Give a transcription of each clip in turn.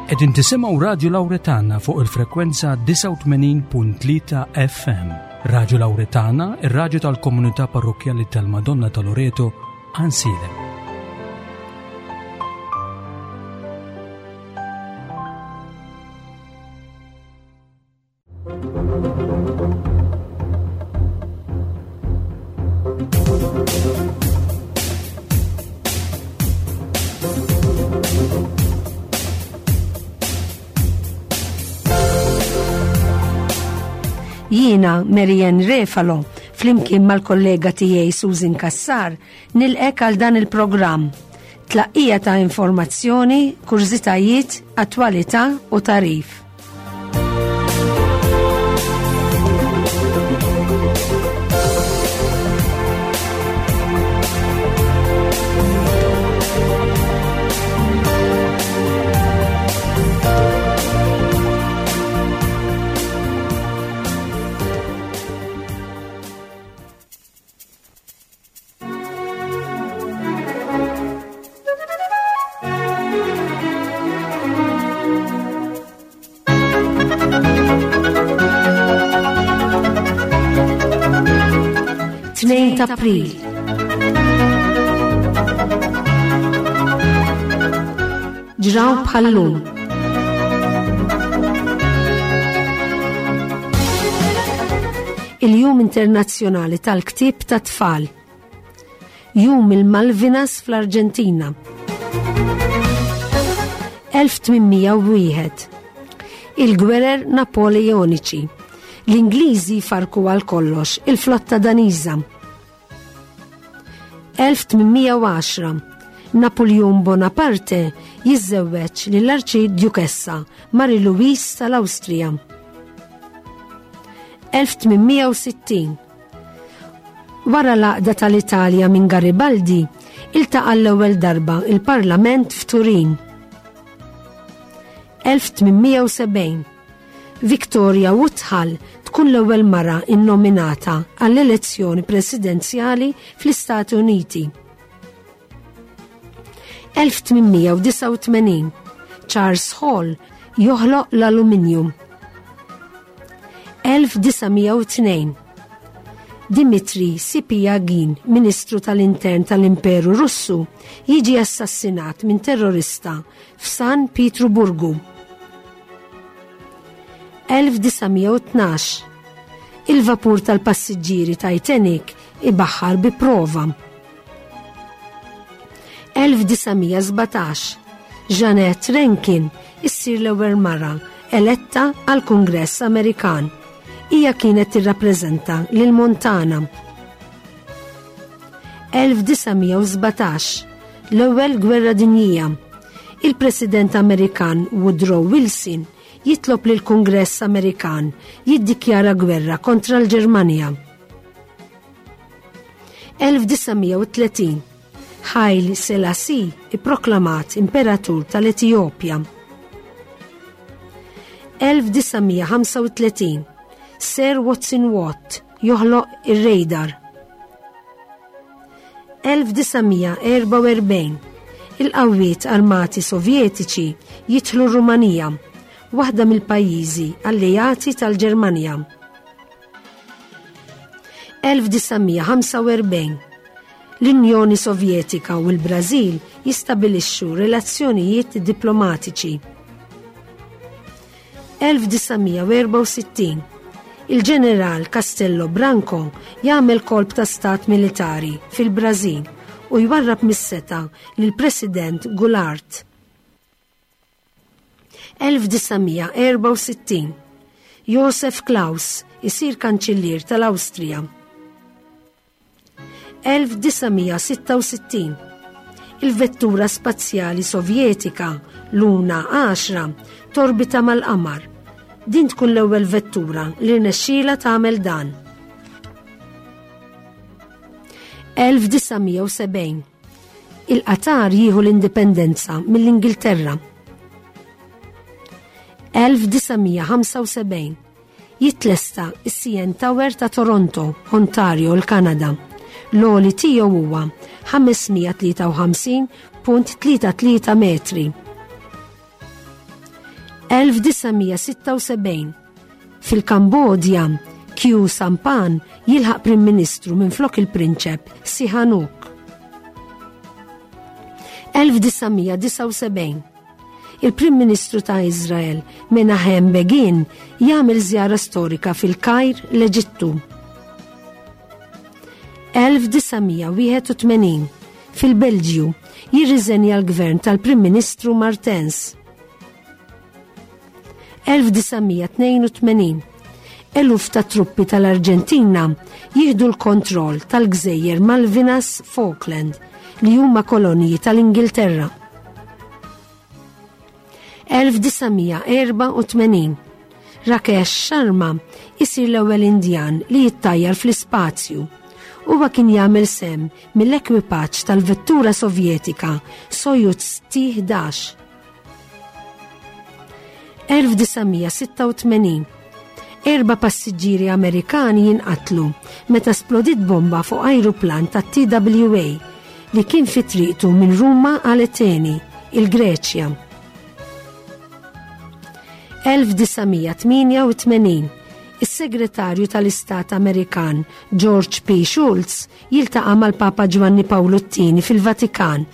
Qegħdin tisimgħu Radju Lawretana fuq il-frekwenza 89.3 FM. Radju Lawretana, ir-radju tal-komunità parrokkjali tal-Madonna ta' Loreto, Ansilem. Jiena Marianne Refalo, flimkien mal-kollega tiegħi Susan Kassar, nilqek għal dan il-programm. Tlaqqija ta' informazzjoni, kurżitajiet, attwalità u tarif. Tnejn ta' April. Ġraw bħallum. Il-Jum Internazzjonali tal-Ktieb tat-Tfal. Jum il-Malvinas fl-Arġentina. 1801. Il-Gwerer Napoleoniċi. L-Ingliżi farku għal kollox il-flotta Daniża. 1810. Napoleon Bonaparte jiżżewweġ lill-Arċidjukessa Marie Louise tal-Awstrija. 1860. Wara l-għaqda tal-Italja minn Garibaldi, iltaqa' l-ewwel darba il-Parlament f'Turin. 1870. Victoria Woodhull tkun l-ewwel mara innominata għall-elezzjoni presidenzjali fl-Istati Uniti. 1889 Charles Hall joħloq l-aluminium. 1902 Dimitri Sipiagin, Ministru tal-Intern tal-Imperu Russu, jiġi assassinat minn terrorista f'San Pietruburgu. 1912 Il-vapur tal-passiġġieri Titanic ibaħħar bi prova. 1917 Jeanette Rankin issir l-ewwel mara eletta għal Kungress Amerikan. Hija kienet tirrappreżenta lil Montana. 1917 L-Ewwel Gwerra Dinjija. Il-President Amerikan Woodrow Wilson jitlob lil Kungress Amerikan jiddikjara gwerra kontra l-Ġermanja. 1930 Haile Selassie ipproklamat Imperatur tal-Etijopja. 1935 Sir Watson Watt joħloq ir-radar. 1944 Il-qawwiet armati Sovjetiċi jidħlu r-Rumanija, waħda mill-pajjiżi alleati tal-Ġermanja. 1945 L-Unjoni Sovjetika u l-Brażil jistabilixxu relazzjonijiet diplomatiċi. 1964 Il-ġeneral Castello Branco jagħmel kolp ta' stat militari fil-Brażil u jwarrab mis-setgħa lill-President Goulart. 1964 Josef Klaus isir kanċillier tal-Awstrija. 1966 Il-vettura spazjali Sovjetika Luna 10 torbita mal-qamar. Din tkun l-ewwel vettura li rnexxielha tagħmel dan. 1970 Il-Qatar jieħu l-indipendenza mill-Ingilterra. 1975 Jitlesta s-CN Tower ta' Toronto, Ontario, l-Kanada. L-għoli tiegħu huwa 553.33 metri. 1976 Fil-Kambodja, Khieu Samphan jilħaq Prim Ministru minflok il-Prinċep Sihanouk. 1979 Il-Prim Ministru ta' Iżrael Menahem Begin jagħmel żjara storika fil-Kajr, l-Eġittu. 1981 Fil-Belġju jirriżenja l-gvern tal-Prim Ministru Martens. 1982 Eluf ta' truppi tal-Arġentina jieħdu l-kontroll tal-gżejjer Malvinas Falkland li huma koloniji tal-Ingilterra. 1984 Rakesh Sharma isir l-ewwel Indjan li jittajjar fl-ispazju. Huwa kien jagħmel sem mill-ekwipaġġ tal-vettura Sovjetika Soyuz T-11. 1986 Erba' passiġġieri Amerikani jinqatlu meta splodiet bomba fuq ajruplan tat-TWA li kien fi triqtu minn Ruma għal Ateni, il-Greċja. 1988 Is-Segretarju tal-Istat Amerikan George P. Shultz jiltaqa' mal-Papa Ġwanni Pawlu t-Tieni fil-Vatikan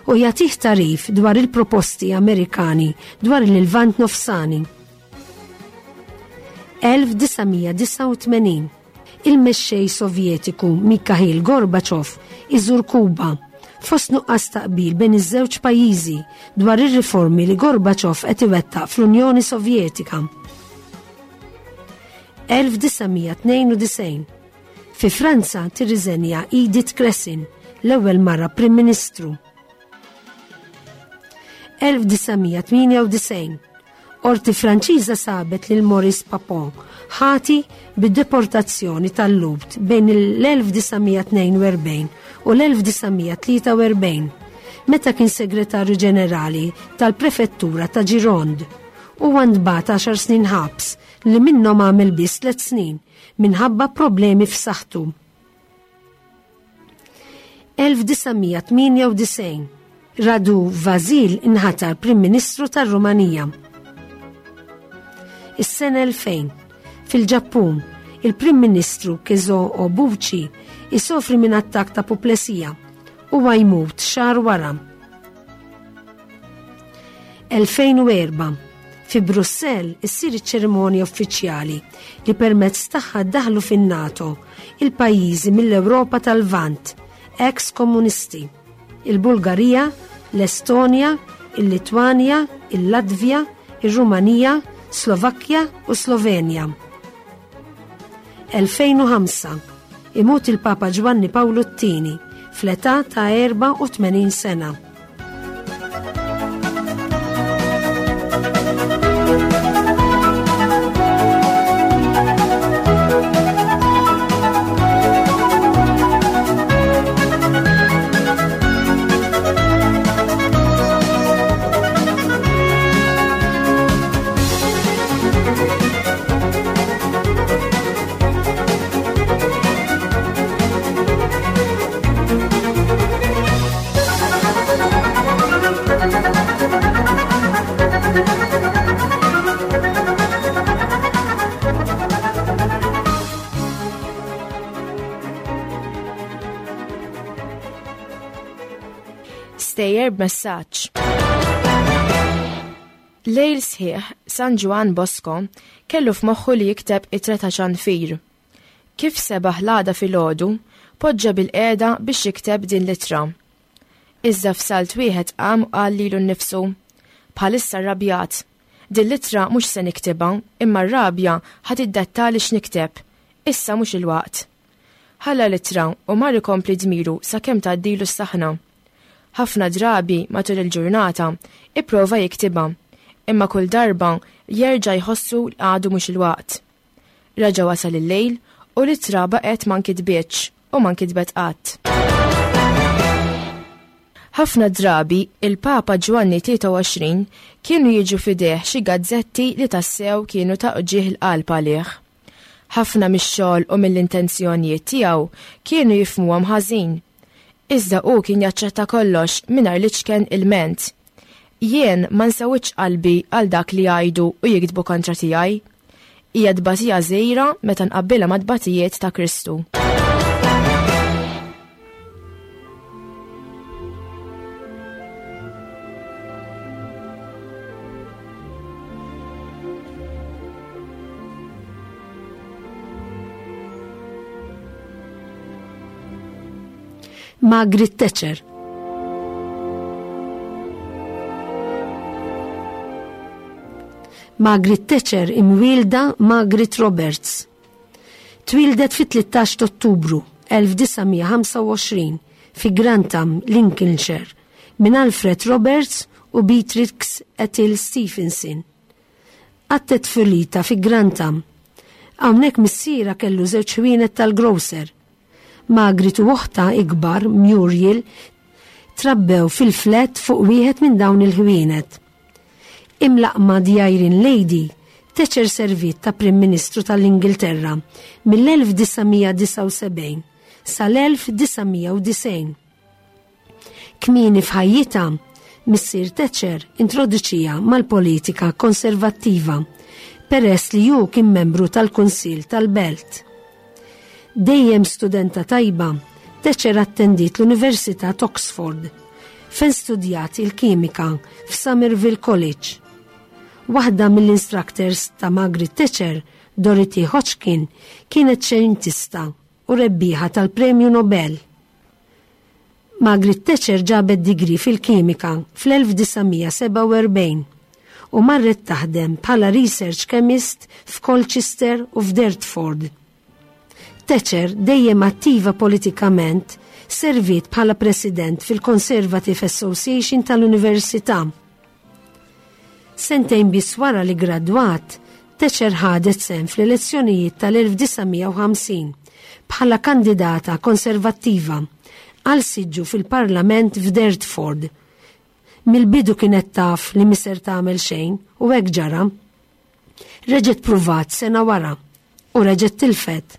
u jagħtih tagħrif dwar il-proposti Amerikani dwar il-Lvant Nofsani. 1989 Il-mexxej Sovjetiku Mikhail Gorbachev iżur Kuba fost nuqqas ta' qbil bejn iż-żewġ pajjiżi dwar ir-riformi li Gorbachev qed iwettaq fl-Unjoni Sovjetika. 1992 Fi Franza tirriżenja Edith Cresson, l-ewwel mara Prim Ministru. 1998 Qorti Franċiża sabet lil Maurice Papon ħati bid-deportazzjoni tal-Lhud bejn l-1942 u l-1943 meta kien segretarju ġenerali tal-prefettura ta' Gironde. Huwa ntbagħat għaxar snin ħabs li minnhom għamel biss tliet snin minħabba problemi f'saħħtu. 1998 Radu Vasil inħatar Prim Ministru tar-Rumanija. Is-sena 2000 fil-Ġappun, il-Prim Ministru Kezo Obuchi isofri minn attakk ta' puplesija u jmut xahar wara. 2004 Fi Brussell issir iċ-ċerimonja uffiċjali li permezz tagħha ddaħlu fin-NATO il-pajjiżi mill-Ewropa tal-Lvant, ex komunisti, il-Bulgarija, l-Estonja, il-Litwanja, il-Latvja, ir-Rumanija, Slovakkja u Slovenja. 2005 Imut il-Papa Ġwanni Pawlu t-Tieni fl-età ta' 84 sena. Stejjer b'messaġġ. Lejl sħiħ, San Ġwann Bosco kellu f'moħħu li jikteb ittra ta' ċanfir. Kif sebaħ l-għada filgħodu, poġġa bilqiegħda biex jikteb din l-ittra. Iżda f'salt wieħed qam u qal lilu nnifsu, Bħalissa rrabjat. Din l-ittra mhux se niktibha, imma r-rabja ħa tiddettali x'nikteb. Issa mhux il-waqt. Ħalla l-ittra u mar ikompli dmiru sakemm tgħaddilu s-saħna. Ħafna drabi matul il-ġurnata ipprova jiktibha, imma kull darba jerġa' jħossu li għadu mhux il-waqt. Reġa' wasal il-lejl u l-ittra baqgħet ma nkitbitx u ma nkitbet qatt. Ħafna drabi il-Papa Ġwanni 23 kienu jiġu f'idejh xi gazzetti li tassew kienu ta' uġigħ il-qalb għalih. Ħafna mix-xogħol u mill-intenzjonijiet tiegħu kienu jifhmuhom ħażin. Iżda hu kien jaċċetta kollox mingħajr l-iċken ilment. Jien ma nsewwidx qalbi għal dak li jgħidu u jiktbu kontra tiegħi. Hija tbatija żgħira meta nqabbilha mat-tbatijiet ta' Kristu. Margaret Thatcher. Margaret Thatcher imwielda Margaret Roberts. Twieldet fit-13 ta' Ottubru 1925 fi Grantham, Lincolnshire, minn Alfred Roberts u Beatrix Ethel Stephenson. Qattgħet tfulitha fi Grantham. Hawnhekk missierha kellu żewġ ħwienet tal-grocer. Margaret u oħtha ikbar, Muriel, trabbew fil-flat fuq wieħed minn dawn il-ħwienet. Imlaqqma The Iron Lady, Thatcher serviet ta' Prim Ministru tal-Ingilterra mill-1979 sal-1990. Kmieni f'ħajjitha, missier Thatcher introduċiha mal-politika konservattiva peress li hu kien membru tal-Kunsill tal-Belt. Dejjem studenta tajba, Thatcher attendiet l-Università t'Oxford, fejn studjat il-kimika f'Somerville College. Waħda mill-instructors ta' Margaret Thatcher, Dorothy Hodgkin, kienet xejntista u rebbieħa tal-Premju Nobel. Margaret Thatcher ġabet degree fil-kimika fl-1947 u marret taħdem bħala research chemist f'Colchester u f'Dartford. Thatcher, dejjem attiva politikament, serviet bħala president fil-Conservative Association tal-Università. Sentejn biss wara li ggradwat, Thatcher ħadet sehem fl-elezzjonijiet tal-1950 bħala kandidata Konservattiva għal siġġu fil-Parlament f'Dartford. Mill-bidu kienet taf li mhi ser tagħmel xejn u hekk ġara. Reġgħet pruvat sena wara u reġgħet tilfet.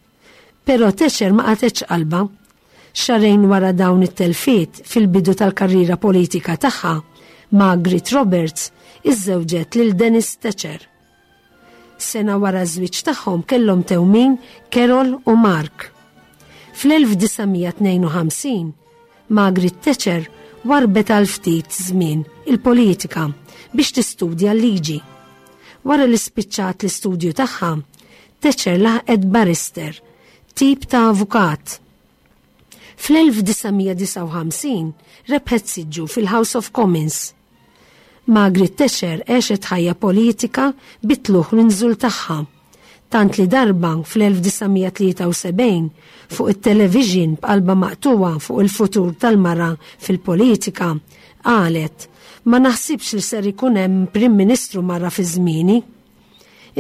Però Thatcher ma qatgħetx qalbha. Xahrejn wara dawn it-telfiet fil-bidu tal-karriera politika tagħha, Margaret Roberts iżżewġet lil Dennis Thatcher. Sena wara ż-żwieġ tagħhom kellhom tewmin Carol u Mark. Fl-1952, Margaret Thatcher warbet għal ftit żmien il-politika biex tistudja l-liġi. Wara li spiċċat l-istudju tagħha, Thatcher laħqet barrister, tip ta' avukat. Fl-1959 rebħet siġġu fil-House of Commons. Margaret Thatcher għexet ħajja politika bit-tlugħ u l-inżul tagħha. Tant li darba fl-1973 fuq it-television b'qalba maqtugħa fuq il-futur tal-mara fil-politika, qalet, Ma naħsibx li ser ikun hemm Prim Ministru mara fi żmieni.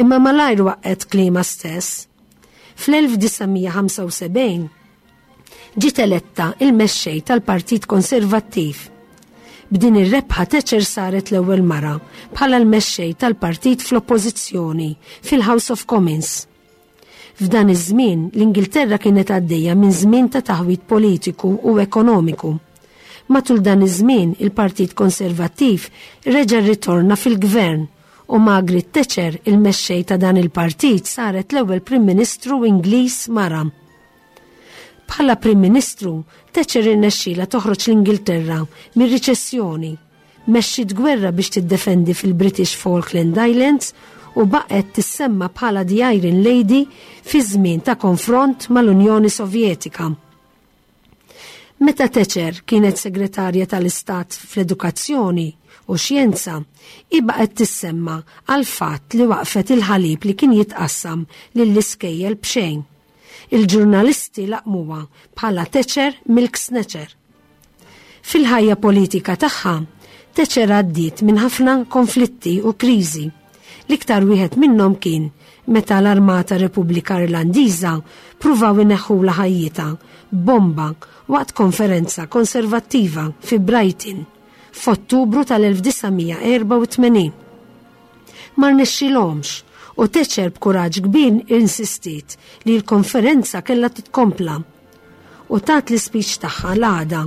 Imma malajr waqqgħet kliemha stess. Fl-1975 ġiet eletta il-mexxej tal-Partit Konservattiv. B'din ir-rebħa Thatcher saret l-ewwel mara bħala l-mexxej tal-partit fl-oppożizzjoni fil-House of Commons. F'dan iż-żmien l-Ingilterra kienet għaddejja minn żmien ta' taħwid politiku u ekonomiku. Matul dan iż-żmien il-Partit Konservattiv reġa' rritorna fil-gvern u Margaret Thatcher, il-mexxej ta' dan il-partit, saret l-ewwel Prim Ministru Ingliż mara. Bħala Prim Ministru, Thatcher irnexxielha toħroġ l-Ingilterra mir-riċessjoni, mexxiet gwerra biex tiddefendi fil-British Falkland Islands u baqgħet tissemma bħala The Iron Lady fi żmien ta' konfront mal-Unjoni Sovjetika. Meta Thatcher kienet Segretarja tal-Istat fl-Edukazzjoni u Xjenza, hi baqgħet tissemma għall-fatt li waqfet il-ħalib li kien jitqassam lill-iskejjel b'xejn. Il-ġurnalisti laqmuha bħala Thatcher Milk Snatcher. Fil-ħajja politika tagħha, Thatcher għaddiet minn ħafna konflitti u kriżi. L-iktar wieħed minnhom kien meta l-Armata Repubblika Irlandiża pruvaw ineħħulha ħajjitha b'bomba waqt konferenza konservattiva fi Brighton f'Ottubru tal-1984. Ma rnexxilhomx u Thatcher b'kuraġġ kbir insistiet li l-konferenza kellha titkompla u tat l-ispeech tagħha l-għada.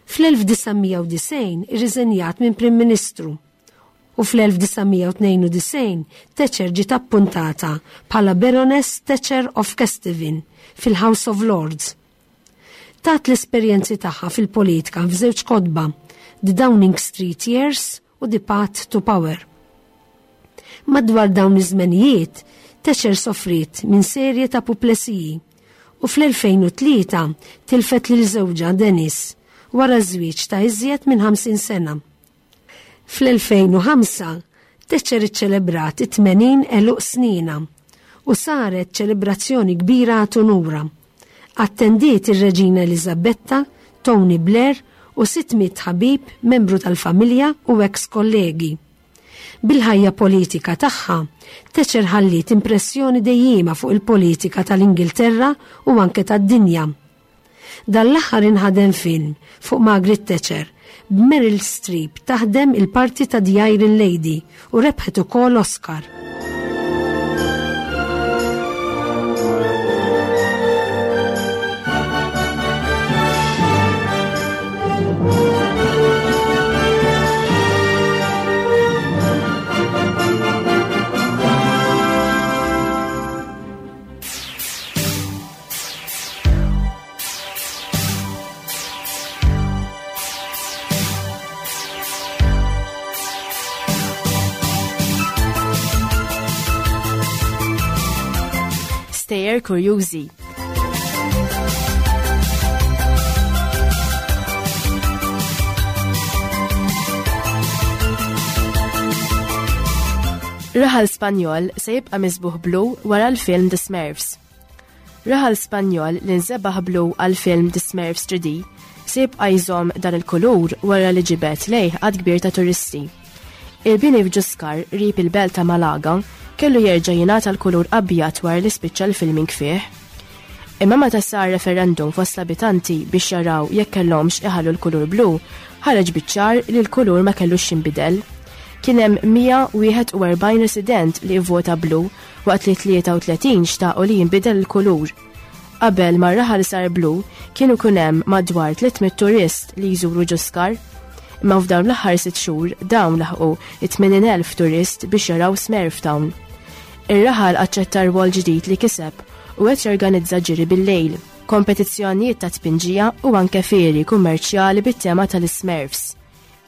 Fl-1990 irriżenjat minn Prim Ministru u fl-1992 Thatcher ġiet appuntata bħala Baroness Thatcher of Kesteven fil-House of Lords. Tat l-esperjenzi tagħha fil-politika f'żewġ kotba, The Downing Street Years u The Path to Power. Madwar dawn iż-żmenijiet, Thatcher sofriet minn serje ta' puplesiji u fl-2003 tilfet lil żewġha Denis wara żwieġ ta' iżjed minn 50 sena. Fl-2005, Thatcher iċċelebrat it-80 għeluq sninha u saret ċelebrazzjoni kbira għat unura. Attendiet ir-Reġina Eliżabetta, Tony Blair u 600 ħabib, membru tal-familja u eks kollegi. Bil-ħajja politika tagħha, Thatcher ħalliet impressjoni dejjiema fuq il-politika tal-Ingilterra u anke tad-dinja. Dan l-aħħar inħadem film fuq Margaret Thatcher, b'Meryl Streep taħdem il-parti ta' The Iron Lady u rebħet ukoll Oscar. Stejjer kurjużi. Raħal Spanjol se jibqa' misbuħ blu wara l-film The Smurfs. Raħal Spanjol li nżebaħ blu għall-film The Smurfs 3D se jibqa' jżomm dan il-kulur wara li ġibed lejh għadd kbir ta' turisti. Il-bini f'Ġuskar qrib il-belt ta' Malaga kellu jerġa' jingħata l-kulur abjad wara li spiċċa l-filming fih. Imma meta sar referendum fost l-abitanti biex jaraw jekk kellhomx iħallu l-kulur blu, ħareġ biċ-ċar li l-kulur ma kellux jinbidel. Kien hemm 141 resident li vvota blu waqt li 33 xtaqu li jinbidel il-kulur. Qabel ma r-raħal sar blu, kien ikun hemm madwar 300 turist li jżuru Ġuskar. Imma f'dawn l-aħħar sitt xhur dawn laħqu 80,000 turist biex jaraw Smurf Town. Ir-raħal aċċetta rwol ġdid li kiseb u qed jorganizza ġiri bil-lejl, kompetizzjonijiet ta' tpinġija u anke fieri kummerċjali bit-tema tal-Smurfs.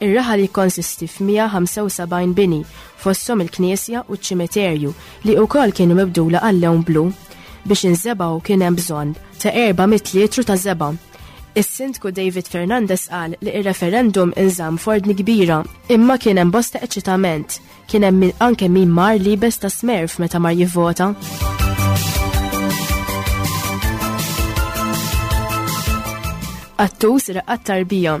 Ir-raħal jikkonsisti f'175 bini, fosthom il-knisja u ċ-ċimiterju li wkoll kienu mibdula għal-lewn blu. Biex inżebgħu kien hemm bżonn ta' 400 litru ta' żebgħa. Is-Sindku David Fernandez qal li r-referendum inżamm f'ordni kbira imma kien hemm bosta eċitament. Kien hemm min anke min mar liebes ta' Smurf meta mar jivvota. Qattus raqqad tarbija.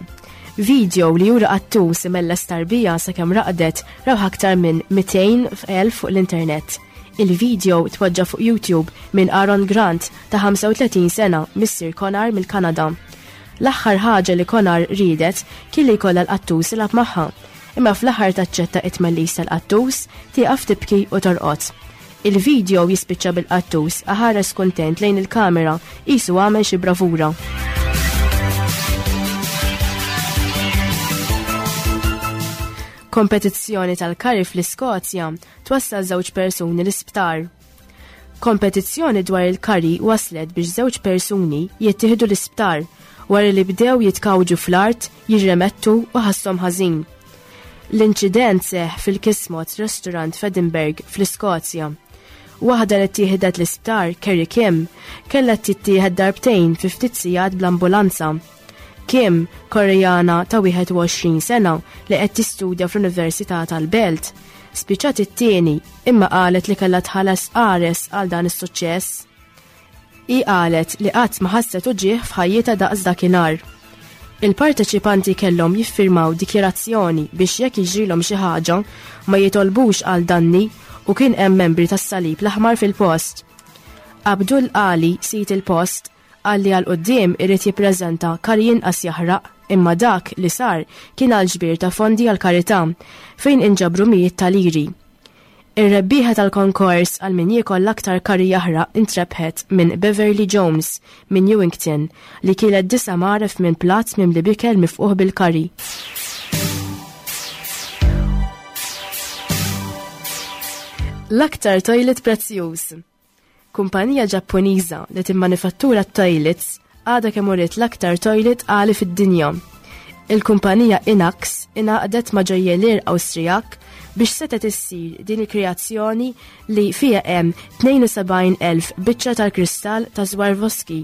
Video li juri qattus imelles tarbija sakemm raqdet rawh aktar minn 200,000 fuq l-internet. Il-video tpoġġa fuq YouTube minn Aaron Grant ta' 35 sena, missier Konar mill-Kanada. L-aħħar ħaġa li Konar riedet kien li jkollha l-qattus ilgħab magħha. Imma fl-aħħar taċċetta it-tmellis tal-qattus, tieqaf tibki u torqod. Il-video jispiċċa bil-qattus aħares kuntent lejn il-kamera qisu għamel xi bravura. Kompetizzjoni tal-kari fl-Iskozja twassal żewġ persuni l-isptar. Kompetizzjoni dwar il-kari waslet biex żewġ persuni jittieħdu l-isptar wara li bdew jitkawġu fl-art, jirremettu u ħasshom ħażin. L-inċident seħħ fil-Kismot Restaurant f'Edinburgh, fl-Iskozja. Waħda li ttieħdet l-isptar, Kerry Kim, kellha tittieħed darbtejn fi ftit sigħat bl-ambulanza. Kim, Koreana ta' 21 sena li qed tistudja fl-Università tal-Belt, spiċċat it-tieni imma qalet li kellha tħallas qares għal dan is-suċċess. Hi qalet li qatt ma ħasset uġigħ f'ħajjitha daqs dakinhar. Il-parteċipanti kellhom jiffirmaw dikjarazzjoni biex jekk jiġrilhom xi ħaġa ma jitolbux għal danni u kien hemm membri tas-Salib l-Aħmar fil-post. Abdul Ali, sid il-post, qal li għal quddiem irid jippreżenta kari inqas jaħraq imma dak li sar kien għal ġbir ta' fondi għall-karità fejn inġabru mijiet ta' liri. Ir-rebbieħa tal-konkors għal min jiekol l-aktar curry jaħraq intrebħet minn Beverly Jones minn Newington li kielet disa' mgħaref minn platt mimli b'ikel mifqugħ bil-curry. L-aktar toilet prezzjuż. Kumpanija Ġappuniża li timmanifattura t-toilets għadha kemm uriet l-aktar toilet għali fid-dinja. Il-kumpanija Inax ingħaqdet ma' ġojjelier Awstrijak biex setgħet issir din il-kreazzjoni li fiha hemm 72,000 biċċa tal-kristall ta' Swarovski.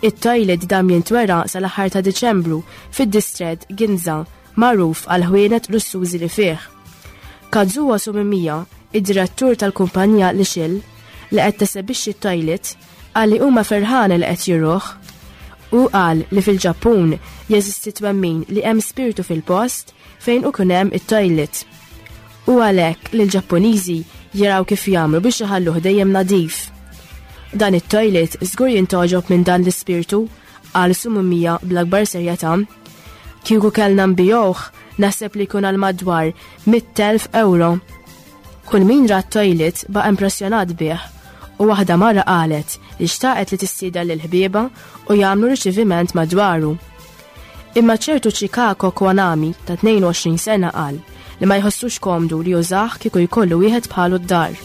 It-toilet dam jintwera sal-aħħar ta' Diċembru fid-distrett Ginza magħruf għall-ħwienet lussużi li fih. Kazuo Sumimiya, id-direttur tal-kumpanija Lixil, li qed tesebixxi t-toilet, qal li huma ferħana li qed juruh. Hu qal li fil-Ġappun jeżisti twemmin li hemm spirtu fil-post fejn ikun hemm it-toilet. Hu għalhekk li l-Ġappuniżi jaraw kif jagħmlu biex iħalluh dejjem nadif. Dan it-toilet żgur jintgħoġob minn dan l-ispirtu, qal Sumimiya bl-akbar serjetà. Kieku kellna nbigħuh, naħseb li jkun għal madwar 100,000 ewro. Kull min ra t-toilet baqa' impressjonat bih u waħda mara qalet li xtaqet li tistieden lil ħbiebha u jagħmlu riċeviment madwaru. Imma ċertu Chikako Kwanami ta' 22 sena qal li ma jħossux komdu li jużah kieku jkollu wieħed bħalu d-dar.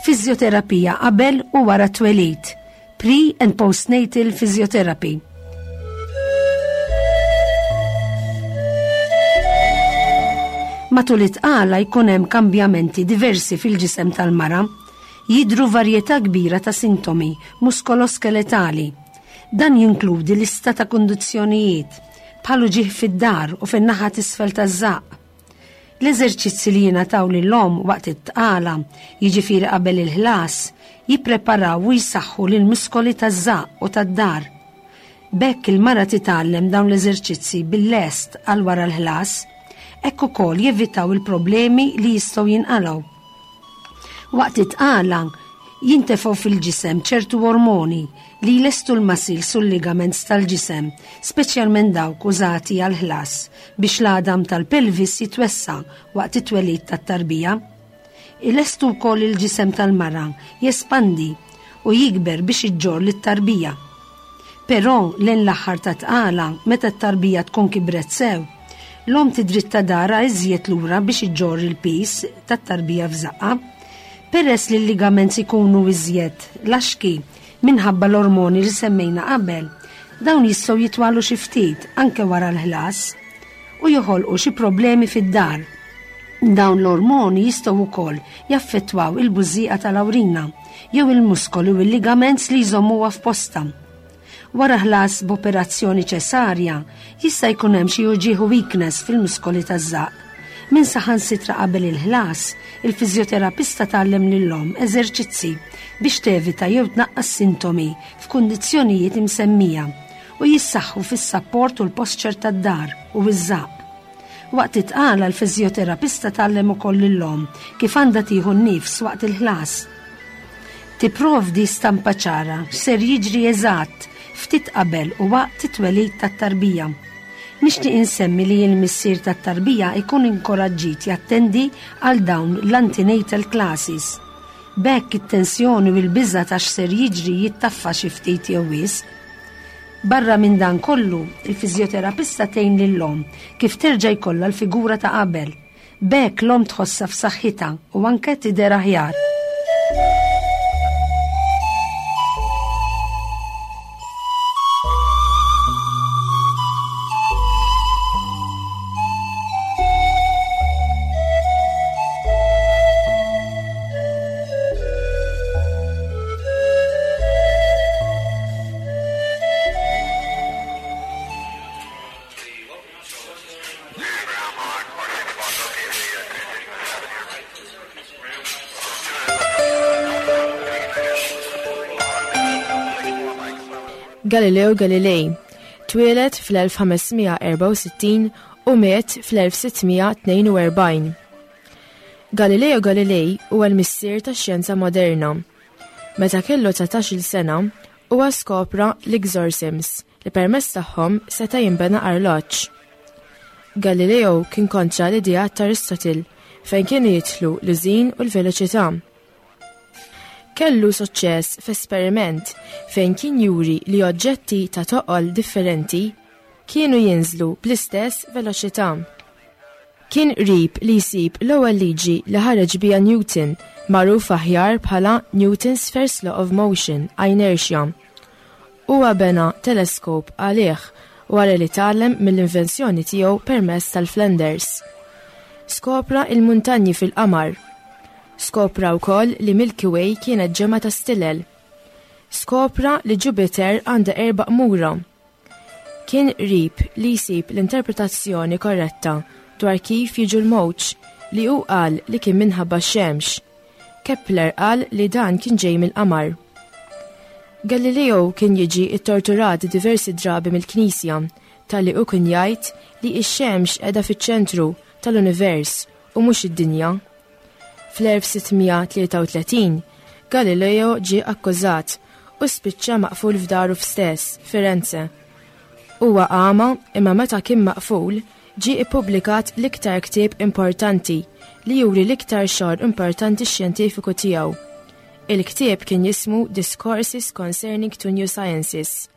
Fiżjoterapija qabel u wara t-twelid. Pre and postnatal physiotherapy. Matul it-tqala jkun hemm kambjamenti diversi fil-ġisem tal-mara. Jidhru varjetà kbira ta' sintomi muskoloskeletali. Dan jinkludi lista ta' kundizzjonijiet, bħal uġigħ fid-dar u fin-naħa t'isfel taż-żaqq. L-eżerċizzi li jingħataw lill-omm waqt it-tqala, jiġifieri qabel il-ħlas, jippreparaw u jsaħħu lill-muskoli taż-żaqq u tad-dar. B'hekk il-mara titgħallem dawn l-eżerċizzi bil-lest għal wara l-ħlas. Hekk ukoll jevitaw il-problemi li jistgħu jinqalgħu. Waqt it-tqala, jintefgħu fil-ġisem ċertu ormoni li jlestu l-muscles u l-ligaments tal-ġisem, speċjalment dawk użati għall-ħlas, biex l-għadam tal-pelvis jitwessa' waqt it-twelid tat-tarbija. Ilestu wkoll il-ġisem tal-mara jespandi u jikber biex iġġorr lit-tarbija. Però lejn l-aħħar tat-tqala, meta t-tarbija tkun kibret sew, l-omm tidritta darha iżjed lura biex iġġorr il-piż tat-tarbija f'żaqqha. Peress li l-ligaments ikunu iżjed laxki minħabba l-ormoni li semmejna qabel, dawn jistgħu jitwalu xi ftit anke wara l-ħlas u joħolqu xi problemi fid-dar. Dawn l-ormoni jistgħu wkoll jaffettwaw il-bużżieqa tal-awrina jew il-muskoli u l-ligaments li jżommuha f'postha. Wara ħlas b'operazzjoni ċesarja, jista' jkun hemm xi uġigħ u weakness fil-muskoli taż-żaqq. Minn saħansitra qabel il-ħlas, il-fiżjoterapista tgħallem lill-omm eżerċizzi biex tevita jew tnaqqas sintomi f'kundizzjonijiet imsemmija u jissaħħu fis-sapport u l-posture tad-dar u ż-żaqq. Waqt it-tqala l-fiżjoterapista tgħallem ukoll lill-omm kif għandha tieħu n-nifs waqt il-ħlas. Tipprovdi stampa ċara x'ser jiġri eżatt ftit qabel u waqt it-twelid tat-tarbija. Nixtieq insemmi li l-missier tat-tarbija jkun inkoraġġit jattendi għal dawn l-antenatal classes. B'hekk it-tensjoni u l-biża' ta' x'ser jiġri jittaffa xi ftit jew wisq. Barra minn dan kollu, il-fiżjoterapista tgħin lill-omm kif terġa' jkollha l-figura ta' qabel. B'hekk l-omm tħossha f'saħħitha u anke tidher aħjar. Galileo Galilei twieled fl-1564 u miet fl-1642. Galileo Galilei huwa l-missier tax-xjenza moderna. Meta kellu 19-il sena, huwa skopra l-exorcisms li permezz tagħhom seta' jinbena arloġġ. Galileo kien kontra l-ideat ta' Aristotle fejn kienu jidħlu l-użin u l-veloċità. Kellu suċċess f'esperiment fejn kien juri li oġġetti ta' toqol differenti kienu jinżlu bl-istess veloċità. Kien qrib li jsib l-ewwel liġi li ħareġ biha Newton, magħruf aħjar bħala Newton's First Law of Motion, inertia. Huwa bena teleskop għalih wara li tgħallem mill-invenzjoni tiegħu permezz tal-Flanders. Skopra il-muntanji fil-qamar. Skopra wkoll li Milky Way kienet ġemgħa ta' stilel. Skopra li Jupiter għandha erba' qmura. Kien qrib li jsib l-interpretazzjoni korretta dwar kif jiġu l-mewġ li hu qal li kien minħabba x-xemx. Kepler qal li dan kien ġej mill-qamar. Galileo kien jiġi ttorturat diversi drabi mill-Knisja talli hu kien jgħid li x-xemx qiegħda fiċ-ċentru tal-univers u mhux id-dinja. Fl-1633, Galileo ġie akkużat u spiċċa maqful f'daru f'stess, Firenze. Huwa għama imma meta kien maqful, ġie ippubblikat l-iktar ktieb importanti li juri l-iktar xogħol importanti xjentifiku tiegħu. Il-ktieb kien jismu Discourses Concerning Two New Sciences.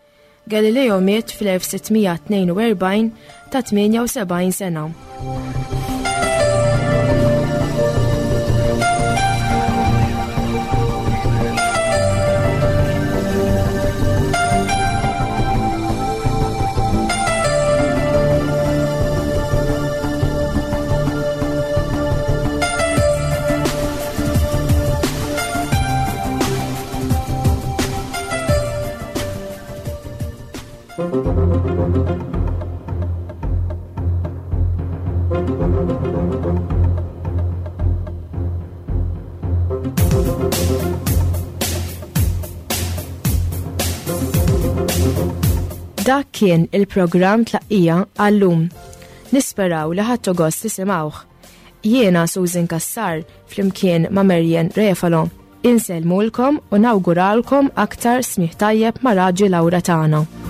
Galileo miet fl-1642 ta' 78 sena. Dak kien il-programm tlaqqija għallum. Nisperaw li ħadtu gost tisimgħuh. Jiena Susan Kassar flimkien ma' Marian Refalo. Insellmulkom u nawguralkom aktar smigħ tajjeb ma' Raġi Laura tagħna.